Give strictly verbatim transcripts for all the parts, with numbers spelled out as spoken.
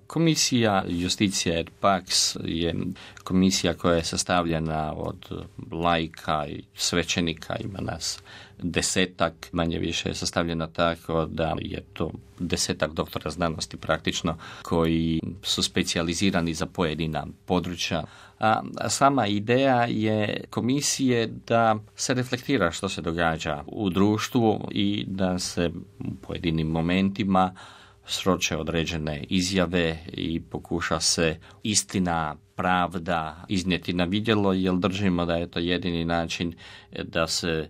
Komisija Justitia et Pax je komisija koja je sastavljena od laika i svećenika, ima nas desetak, manje više je sastavljena tako da je to desetak doktora znanosti praktično koji su specijalizirani za pojedina područja. A sama ideja je komisije da se reflektira što se događa u društvu i da se u pojedinim momentima sroče određene izjave i pokuša se istina, pravda iznijeti na vidjelo, jer držimo da je to jedini način da se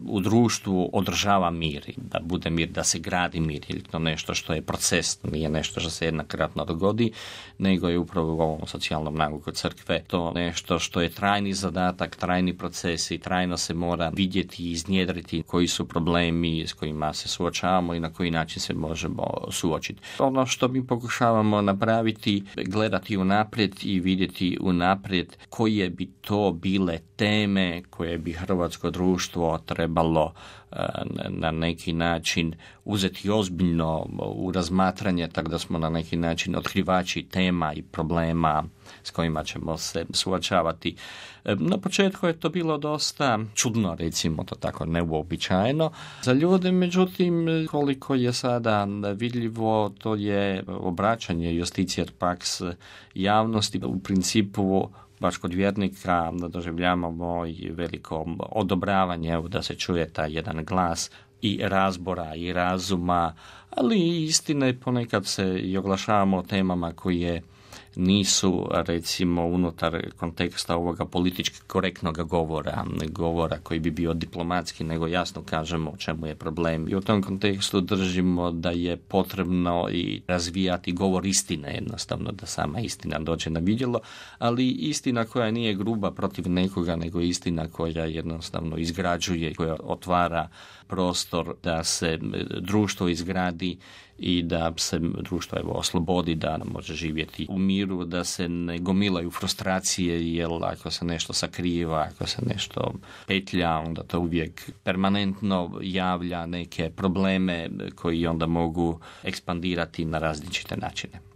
u društvu održava mir, da bude mir, da se gradi mir, ili to nešto što je proces, nije nešto što se jednokratno dogodi, nego je upravo u ovom socijalnom nauku crkve to nešto što je trajni zadatak, trajni proces i trajno se mora vidjeti i iznjedriti koji su problemi s kojima se suočavamo i na koji način se možemo suočiti. Ono što mi pokušavamo napraviti, gledati unaprijed i vidjeti unaprijed koje bi to bile teme koje bi hrvatsko društvo trebalo na neki način uzeti ozbiljno u razmatranje, tako da smo na neki način otkrivači tema i problema s kojima ćemo se suočavati. Na početku je to bilo dosta čudno, recimo to tako, neuobičajeno za ljude, međutim koliko je sada vidljivo, to je obraćanje Justitia et Pax javnosti. U principu baš kod vjernika doživljavamo i veliko odobravanje da se čuje taj jedan glas i razbora i razuma, ali i istine ponekad se i oglašavamo o temama koje nisu, recimo, unutar konteksta ovoga politički korektnog govora, govora koji bi bio diplomatski, nego jasno kažemo o čemu je problem. I u tom kontekstu držimo da je potrebno i razvijati govor istine, jednostavno da sama istina dođe na vidjelo, ali istina koja nije gruba protiv nekoga, nego istina koja jednostavno izgrađuje, koja otvara prostor da se društvo izgradi i da se društvo evo oslobodi, da može živjeti u miru, da se ne gomilaju frustracije, jer ako se nešto sakriva, ako se nešto petlja, onda to uvijek permanentno javlja neke probleme koji onda mogu ekspandirati na različite načine.